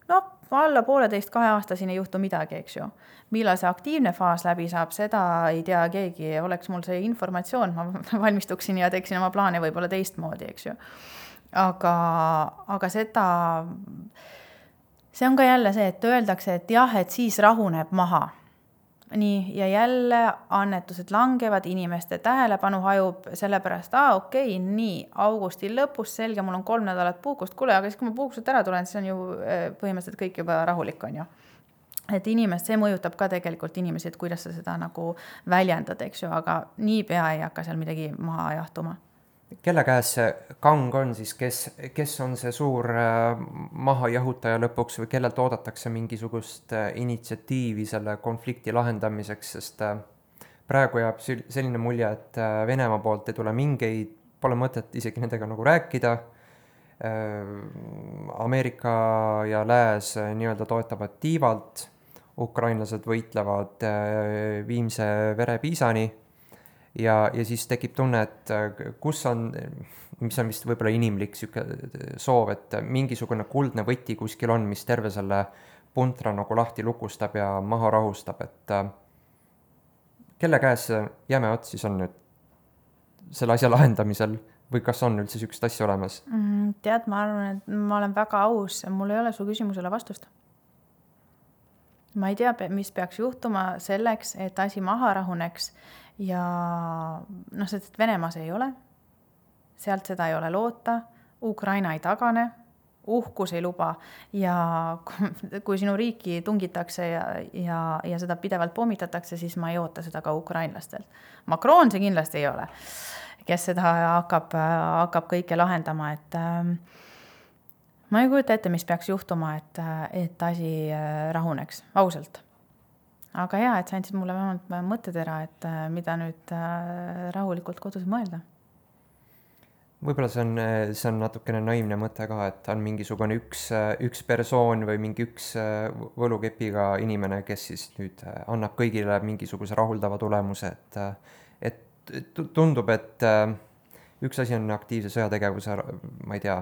No, alla 1,5-2 aastasini ei juhtu midagi, eks ju. Millal see aktiivne faas läbi saab, seda ei tea keegi. Oleks mul see informatsioon, ma valmistuksin ja teeksin oma plaane võib-olla teistmoodi, eks ju. Aga seda, see on ka jälle see, et öeldakse, et jah, et siis rahuneb maha. Nii, ja jälle annetused langevad, inimeste tähelepanu hajub, sellepärast, okei, nii, augusti lõpus, selge, mul on 3 nädalat puhkust, kuule, aga siis kui ma puhkuselt ära tulen, siis on ju põhimõtteliselt kõik juba rahulik on ju. Et inimest, see mõjutab ka tegelikult inimesi, et kuidas sa seda nagu väljendad, eks ju, aga niipea ei hakka seal midagi maha jahtuma. Kelle käes see kang on siis, kes on see suur mahajahutaja lõpuks või kellelt oodatakse mingisugust initsiatiivi selle konflikti lahendamiseks, sest praegu jääb selline mulje, et Venemaa poolt ei tule mingeid, pole mõtet isegi nendega nagu rääkida. Ameerika ja Lääs nii-öelda toetavad tiivalt, ukrainlased võitlevad viimse verepiisani. Ja siis tekib tunne, et kus on, mis on vist võib-olla inimlik soov, et mingisugune kuldne võti kuskil on, mis terve selle puntra nagu lahti lukustab ja maha rahustab, et kelle käes jäme ots siis on nüüd selle asja lahendamisel või kas on üldse sükst asja olemas? Tead, ma arvan, et ma olen väga aus, mul ei ole su küsimusele vastust. Ma ei tea, mis peaks juhtuma selleks, et asi maha rahuneks ja noh, sest Venemaas ei ole, sealt seda ei ole loota, Ukraina ei tagane, uhkus ei luba ja kui sinu riiki tungitakse ja seda pidevalt pommitatakse, siis ma ei oota seda ka ukrainlastelt. Macron see kindlasti ei ole, kes seda hakkab kõike lahendama, et ma ei kujuta ette, mis peaks juhtuma, et asi rahuneks, ausalt. Aga hea, et sa andsid mulle vähemalt mõttetera, et mida nüüd rahulikult kodus mõelda. Võib-olla see on natukene naivne mõte ka, et on mingisugune üks persoon või mingi üks võlukepiga inimene, kes siis nüüd annab kõigile mingisuguse rahuldava tulemuse, et tundub, et üks asi on aktiivse sõjategevuse, ma ei tea,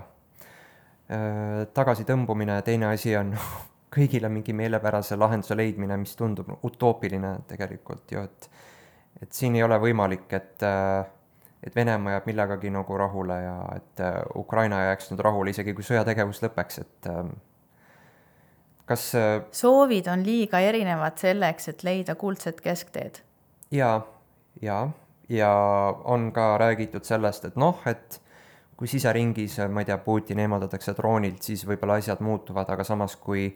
tagasi tõmbumine, teine asi on kõigile mingi meelepärase lahenduse leidmine, mis tundub utoopiline tegelikult ju, et siin ei ole võimalik, et Venemaa jääb millegagi nagu rahule ja et Ukraina jääks nüüd rahule, isegi kui sõjategevus lõpeks, et kas soovid on liiga erinevad selleks, et leida kuldset keskteed? Ja on ka räägitud sellest, et noh, et kui siseringis, ma ei tea, Putin eemaldatakse troonilt, siis võib-olla asjad muutuvad, aga samas kui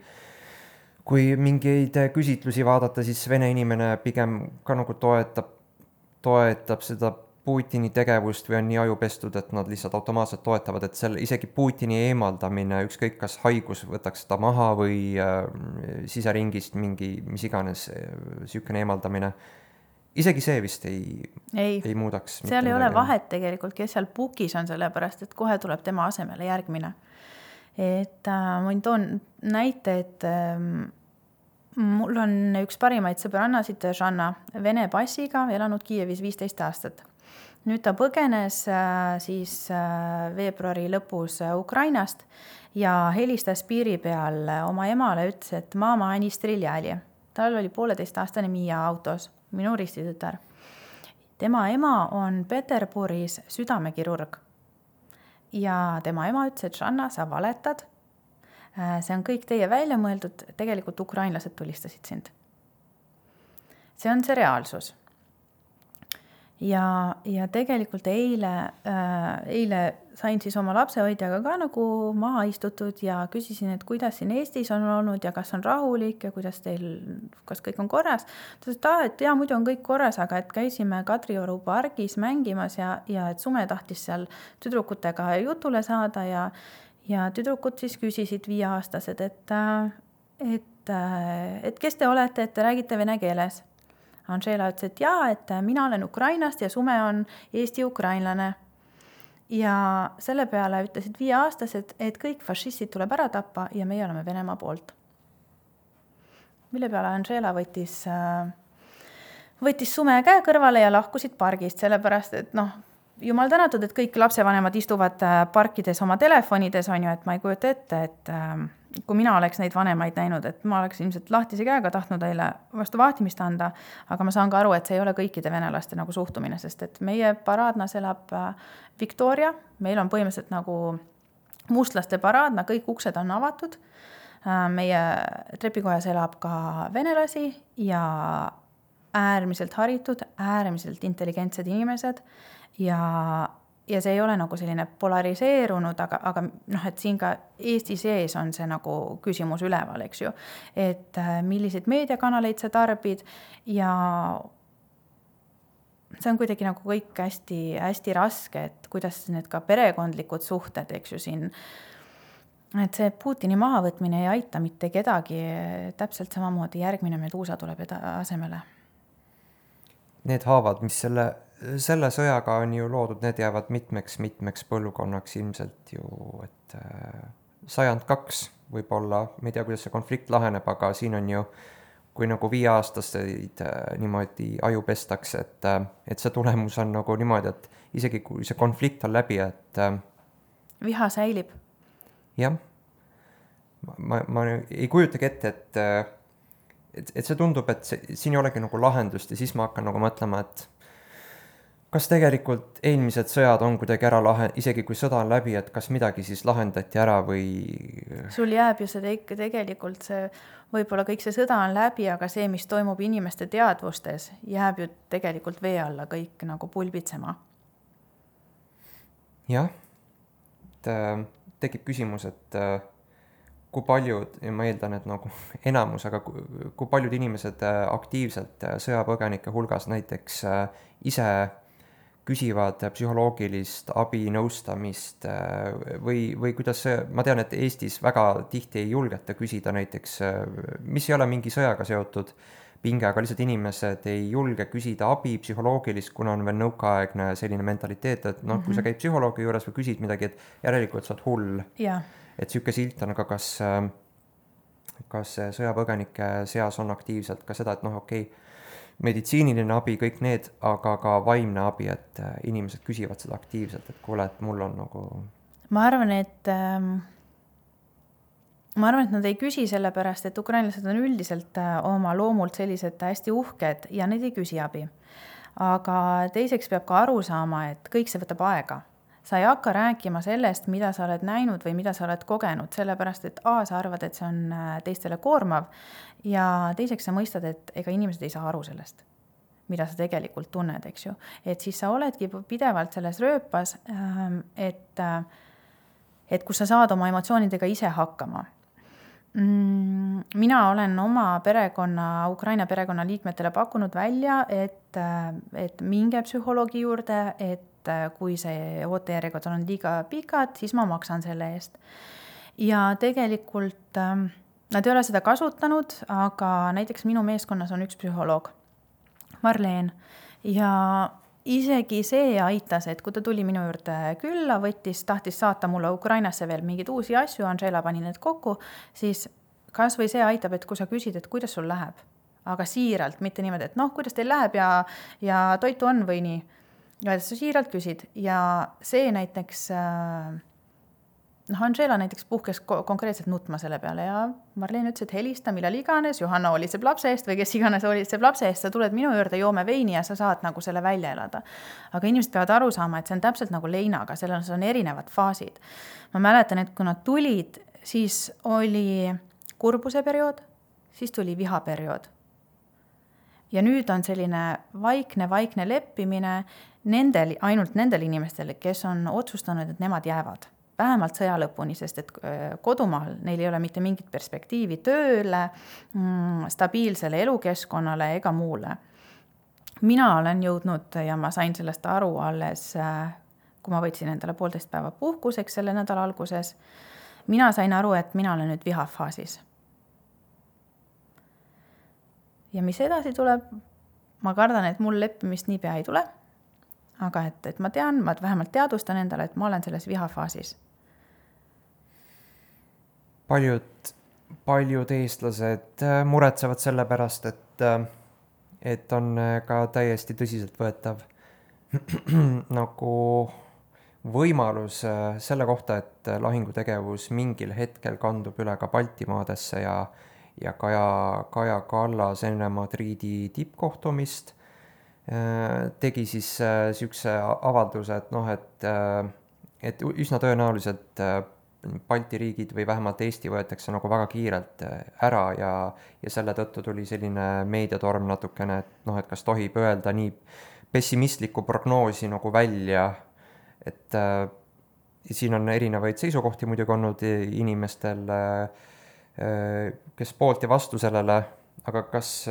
mingeid küsitlusi vaadata, siis Vene inimene pigem ka nagu toetab seda Putini tegevust või on nii ajupestud, et nad lihtsalt automaatselt toetavad, et isegi Putini eemaldamine, ükskõik kas haigus võtaks seda maha või siseringist mingi, mis iganes sihukene eemaldamine, isegi see vist ei muudaks. Seal ei ole vahet tegelikult, kes seal pukis on, sellepärast, et kohe tuleb tema asemele järgmine. Et ma toon näite, et mul on üks parimaid sõbrannasid, Žanna, Vene passiga, elanud Kiievis 15 aastat. Nüüd ta põgenes siis veebruari lõpus Ukrainast ja helistas piiri peal oma emale, ütles, et mama, ani striljali. Tal oli 1,5-aastane Miia autos, minu ristitutär. Tema ema on Peterburis südamekirurg. Ja tema ema ütles, et Žanna, sa valetad. See on kõik teie välja mõeldud, tegelikult ukrainlased tulistasid sind. see on see reaalsus. Ja tegelikult eile sain siis oma lapsehoidjaga ka nagu maha istutud ja küsisin, et kuidas siin Eestis on olnud ja kas on rahulik ja kas kõik on korras. Ta ütles, et jaa, muidu on kõik korras, aga et käisime Kadrioru pargis mängimas ja et Sume tahtis seal tüdrukutega jutule saada ja tüdrukud siis küsisid 5-aastased, et kes te olete, et te räägite vene keeles. Anžela ütles, et jaa, et mina olen Ukrainast ja Sume on Eesti-ukrainlane. Ja selle peale ütlesid 5-aastased, et kõik fašistid tuleb ära tappa ja meie oleme Venemaa poolt. Mille peale Anžela võttis Sume käe kõrvale ja lahkusid pargist, sellepärast, et jumal tänatud, et kõik lapsevanemad istuvad parkides oma telefonides, on ju, et ma ei kujuta ette, et kui mina oleks neid vanemaid näinud, et ma oleks ilmselt lahtise käega tahtnud neile vastu vahtimist anda, aga ma saan ka aru, et see ei ole kõikide venelaste nagu suhtumine, sest et meie paraadnas elab Victoria, meil on põhimõtteliselt nagu mustlaste paraadna, kõik uksed on avatud, meie trepikojas elab ka venelasi ja äärmiselt haritud, äärmiselt intelligentsed inimesed ja see ei ole nagu selline polariseerunud, aga et siin ka Eesti sees on see nagu küsimus üleval, eks ju, et milliseid meediakanaleid sa tarbid ja see on kuidagi nagu kõik hästi, hästi raske, et kuidas need ka perekondlikud suhted, eks ju siin, et see Putini mahavõtmine ei aita mitte kedagi, täpselt samamoodi järgmine Medusa tuleb asemele. Need haavad, mis selle sõjaga on ju loodud, need jäävad mitmeks põlvkonnaks ilmselt ju, et 102 võib-olla, ma ei tea, kuidas see konflikt laheneb, aga siin on ju, kui nagu 5-aastaseid niimoodi aju pestakse, et see tulemus on nagu niimoodi, et isegi kui see konflikt on läbi, et viha säilib. Jah, ma ei kujutagi ette, et see tundub, et siin ei olegi nagu lahendust ja siis ma hakkan nagu mõtlema, et kas tegelikult eelmised sõjad on kuidagi ära isegi kui sõda on läbi, et kas midagi siis lahendati ära või... Sul jääb ju see tegelikult võib-olla kõik see sõda on läbi, aga see, mis toimub inimeste teadvustes, jääb ju tegelikult vee alla kõik nagu pulbitsema. Jah, tekib küsimus, et kui paljud, ja ma eeldan, et nagu enamus, aga kui paljud inimesed aktiivselt sõjapõgenike hulgas näiteks ise küsivad psühholoogilist abi, nõustamist või kuidas see, ma tean, et Eestis väga tihti ei julgeta küsida näiteks, mis ei ole mingi sõjaga seotud pinge, aga lihtsalt inimesed ei julge küsida abi psühholoogilist, kuna on veel nõukaaegne selline mentaliteet, et kui sa käid psühholoogi juures või küsid midagi, et järelikult sa oled hull. Et siuke silt on, aga kas sõjapõgenike seas on aktiivselt ka seda, et okei, meditsiiniline abi, kõik need, aga ka vaimne abi, et inimesed küsivad seda aktiivselt, et kuule, et mul on nagu... Ma arvan, et nad ei küsi sellepärast, et ukrainlased on üldiselt oma loomult sellised hästi uhked ja need ei küsi abi. Aga teiseks peab ka aru saama, et kõik see võtab aega. Sa ei hakka rääkima sellest, mida sa oled näinud või mida sa oled kogenud, sellepärast, et sa arvad, et see on teistele koormav ja teiseks sa mõistad, et ega inimesed ei saa aru sellest, mida sa tegelikult tunned, eks ju. Et siis sa oledki pidevalt selles rööpas, et kus sa saad oma emotsioonidega ise hakkama. Mina olen oma Ukraina perekonna liikmetele pakkunud välja, et minge psühholoogi juurde, et kui see ootejärjekord on liiga pikad, siis ma maksan selle eest. Ja tegelikult nad ei ole seda kasutanud, aga näiteks minu meeskonnas on üks psühholoog, Marleen, ja isegi see aitas, et kui ta tuli minu juurde külla, tahtis saata mulle Ukrainasse veel mingeid uusi asju, Anžela pani need kokku, siis kas või see aitab, et kui sa küsid, et kuidas sul läheb, aga siiralt, mitte niimoodi, et kuidas teil läheb ja toitu on või nii. Ja sa siiralt küsid ja see näiteks, Anžela näiteks puhkes konkreetselt nutma selle peale ja Marleen ütles, et helista millal iganes, Johanna hoolitseb lapse eest või kes iganes hoolitseb lapse eest, sa tuled minu juurde, joome veini ja sa saad nagu selle välja elada. Aga inimesed peavad aru saama, et see on täpselt nagu leinaga, selles on erinevad faasid. Ma mäletan, et kui nad tulid, siis oli kurbuse periood, siis tuli viha periood. Ja nüüd on selline vaikne leppimine ainult nendel inimestel, kes on otsustanud, et nemad jäävad. Vähemalt sõja lõpuni, sest et kodumaal neil ei ole mitte mingit perspektiivi tööle, stabiilsele elukeskkonnale ega muule. Mina olen jõudnud ja ma sain sellest aru alles, kui ma võtsin endale 1,5 päeva puhkuseks selle nädala alguses. Mina sain aru, et mina olen nüüd vihafaasis. Ja mis edasi tuleb? Ma kardan, et mul leppimist nii pea ei tule, aga et ma tean, ma vähemalt teadvustan endale, et ma olen selles vihafaasis. Paljud eestlased muretsevad selle pärast, et on ka täiesti tõsiselt võetav nagu võimalus selle kohta, et lahingutegevus mingil hetkel kandub üle ka Baltimaadesse ja Kaja Kallas enne Madridi tippkohtumist tegi siis sihukese avalduse, et üsna tõenäoliselt Balti riigid või vähemalt Eesti võetakse nagu väga kiirelt ära ja selle tõttu tuli selline meediatorm natukene, et kas tohib öelda nii pessimistlikku prognoosi nagu välja, et siin on erinevaid seisukohti muidugi olnud inimestel, kes poolt ja vastu sellele, aga kas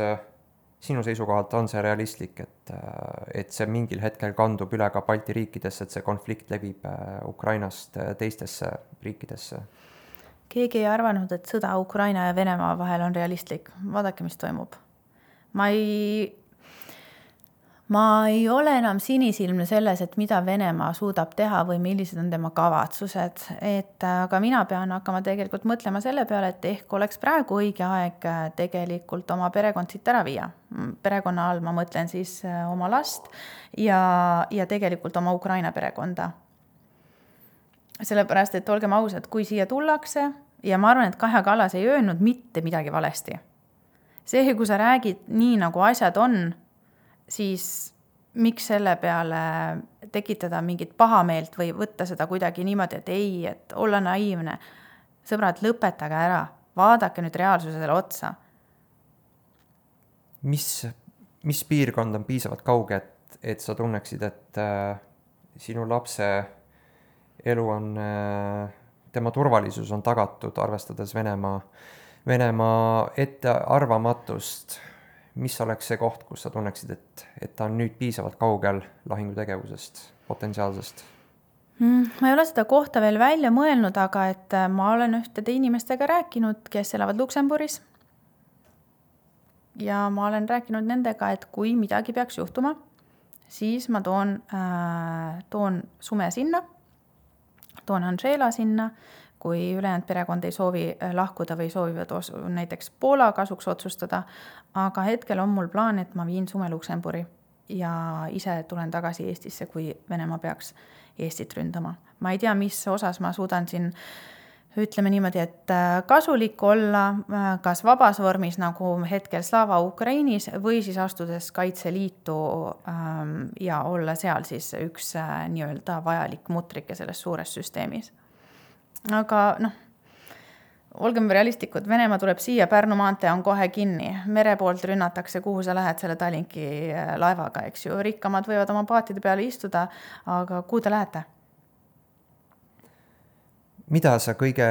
sinu seisukohalt on see realistlik, et see mingil hetkel kandub üle ka Balti riikidesse, et see konflikt levib Ukrainast teistesse riikidesse? Keegi ei arvanud, et sõda Ukraina ja Venemaa vahel on realistlik. Vaadake, mis toimub. Ma ei ole enam sinisilmne selles, et mida Venemaa suudab teha või millised on tema kavatsused. Aga mina pean hakkama tegelikult mõtlema selle peale, et ehk oleks praegu õige aeg tegelikult oma perekond siit ära viia. Perekonna all ma mõtlen siis oma last ja tegelikult oma Ukraina perekonda. Sellepärast, et olgem ausad, kui siia tullakse, ja ma arvan, et Kaja Kallas ei öelnud mitte midagi valesti. See, kui sa räägid nii, nagu asjad on, siis miks selle peale tekitada mingit pahameelt või võtta seda kuidagi niimoodi, et ei, et olla naiivne. Sõbrad, lõpetage ära, vaadake nüüd reaalsusele otsa. Mis piirkond on piisavalt kauge, et sa tunneksid, et sinu lapse elu on, tema turvalisus on tagatud, arvestades Venemaa ettearvamatust? Mis oleks see koht, kus sa tunneksid, et ta on nüüd piisavalt kaugel lahingutegevusest, potentsiaalsest? Ma ei ole seda kohta veel välja mõelnud, aga et ma olen ühtede inimestega rääkinud, kes elavad Luksemburis. Ja ma olen rääkinud nendega, et kui midagi peaks juhtuma, siis ma toon Sume sinna, toon Andžela sinna, kui ülejäänud perekond ei soovi lahkuda või soovivad näiteks Poola kasuks otsustada, aga hetkel on mul plaan, et ma viin Sume Luksemburi ja ise tulen tagasi Eestisse, kui Venemaa peaks Eestit ründama. Ma ei tea, mis osas ma suudan siin, ütleme niimoodi, et kasulik olla, kas vabas vormis nagu hetkel Slava Ukrainis või siis astudes Kaitseliitu ja olla seal siis üks nii-öelda vajalik mutrike selles suures süsteemis. Aga olgem realistlikud, Venemaa tuleb siia, Pärnu maantee on kohe kinni, mere poolt rünnatakse, kuhu sa lähed selle Tallinki laevaga, eks ju, rikkamad võivad oma paatide peale istuda, aga kuhu te lähete? Mida sa kõige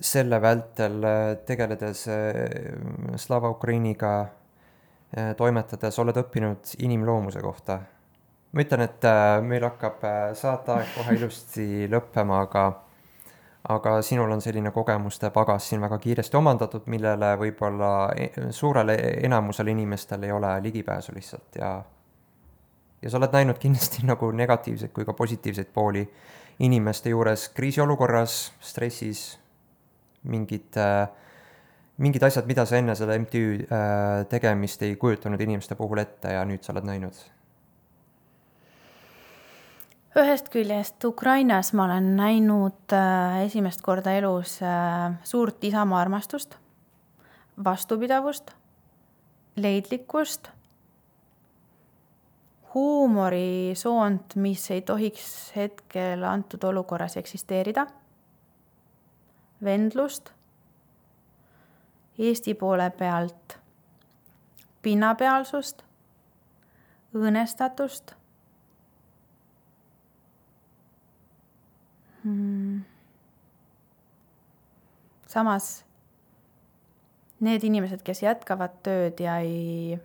selle vältel tegeledes Slava Ukrainiga toimetades oled õppinud inimloomuse kohta? Ma ütlen, et meil hakkab saateaeg kohe ilusti lõppema, aga sinul on selline kogemuste pagas siin väga kiiresti omandatud, millele võib-olla suurele enamusele inimestel ei ole ligipääsu lihtsalt ja sa oled näinud kindlasti nagu negatiivseid kui ka positiivseid pooli inimeste juures kriisiolukorras, stressis, mingid asjad, mida sa enne selle MTÜ tegemist ei kujutanud inimeste puhul ette ja nüüd sa oled näinud. Ühest küljest Ukrainas ma olen näinud esimest korda elus suurt isamaa armastust, vastupidavust, leidlikkust, huumorisoont, mis ei tohiks hetkel antud olukorras eksisteerida, vendlust, Eesti poole pealt pinnapealsust, õõnestatust. Samas need inimesed, kes jätkavad tööd ja ei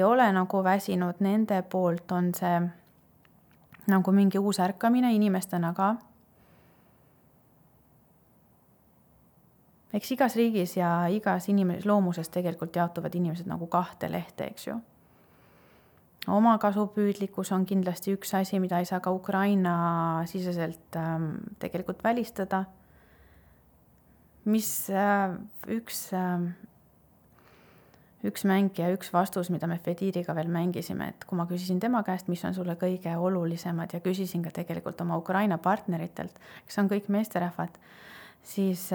ole nagu väsinud, nende poolt on see nagu mingi uus ärkamine inimestena ka. Eks igas riigis ja igas loomuses tegelikult jaotuvad inimesed nagu 2 lehte, eks ju. Omakasupüüdlikkus on kindlasti üks asi, mida ei saa ka Ukraina siseselt tegelikult välistada. Mis üks mäng ja üks vastus, mida me Fediriga veel mängisime, et kui ma küsisin tema käest, mis on sulle kõige olulisemad ja küsisin ka tegelikult oma Ukraina partneritelt, kes on kõik meesterahvad, siis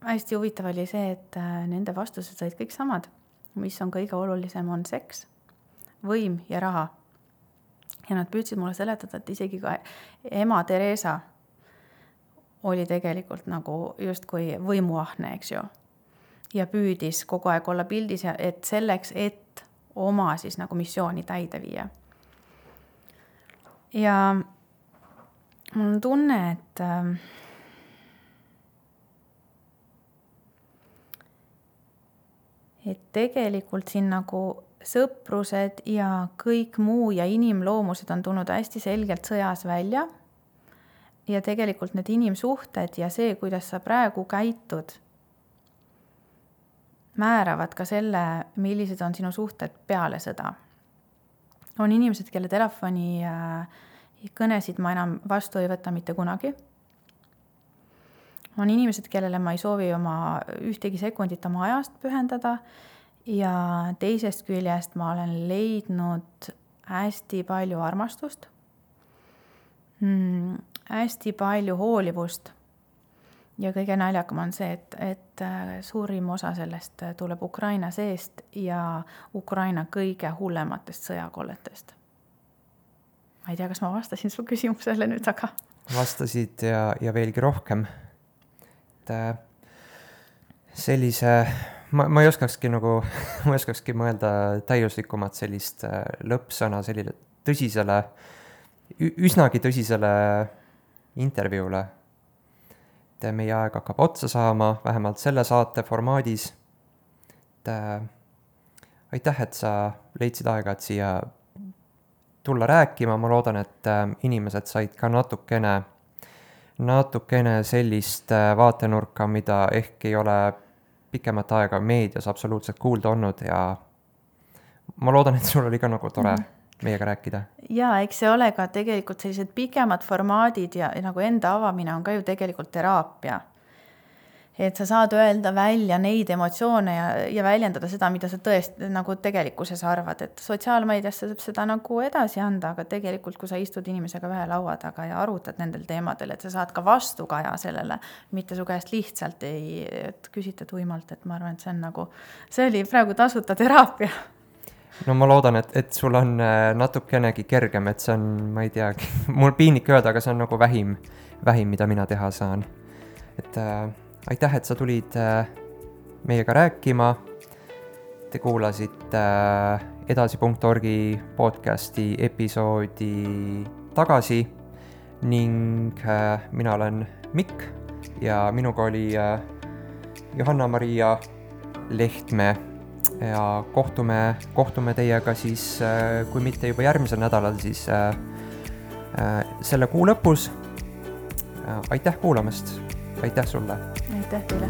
hästi huvitav oli see, et nende vastused olid kõik samad. Mis on kõige olulisem, on seks, võim ja raha. Ja nad püüdsid mulle seletada, et isegi ka ema Teresa oli tegelikult nagu justkui võimuahne, eks ju. Ja püüdis kogu aeg olla pildis, et selleks, et oma siis nagu missiooni täide viia. Ja mul on tunne, et tegelikult siin nagu sõprused ja kõik muu ja inimloomused on tulnud hästi selgelt sõjas välja. Ja tegelikult need inimsuhted ja see, kuidas sa praegu käitud, määravad ka selle, millised on sinu suhted peale sõda. On inimesed, kelle telefoni kõnesid ma enam vastu ei võta mitte kunagi. On inimesed, kellele ma ei soovi oma ühtegi sekundit oma ajast pühendada ja teisest küljest ma olen leidnud hästi palju armastust, hästi palju hoolivust. Ja kõige naljakam on see, et suurim osa sellest tuleb Ukraina seest ja Ukraina kõige hullematest sõjakolletest. Ma ei tea, kas ma vastasin su küsimusele nüüd, aga... Vastasid ja veelgi rohkem. Sellise... Ma ei oskakski mõelda täiuslikumat sellist lõppsõna sellile tõsisele, üsnagi tõsisele intervjuule. Meie aeg hakkab otsa saama, vähemalt selle saate formaadis. Aitäh, et sa leidsid aega, et siia tulla rääkima. Ma loodan, et inimesed said ka natukene sellist vaatenurka, mida ehk ei ole pikemat aega meedias absoluutselt kuulda olnud ja ma loodan, et sul oli ka nagu tore meiega rääkida. Ja eks see ole ka tegelikult sellised pikemad formaadid ja nagu enda avamine on ka ju tegelikult teraapia. Et sa saad öelda välja neid emotsioone ja väljendada seda, mida sa tõesti nagu tegelikkuses arvad. Et sotsiaalmeediasse saab seda nagu edasi anda, aga tegelikult kui sa istud inimesega ühe laua taga ja arutad nendel teemadel, et sa saad ka vastukaja sellele, mitte su käest lihtsalt ei küsita tuimalt, et ma arvan, et see oli praegu tasuta teraapia. No ma loodan, et sul on natukenegi kergem, et see on, ma ei teagi, mul piinlik öelda, aga see on nagu vähim, mida mina teha saan. Et aitäh, et sa tulid meiega rääkima. Te kuulasite edasi.org podcasti episoodi tagasi ning mina olen Mikk ja minuga oli Johanna-Maria Lehtme. Ja kohtume teiega siis, kui mitte juba järgmisel nädalal, siis selle kuu lõpus. Aitäh kuulamast, aitäh sulle. Aitäh teile.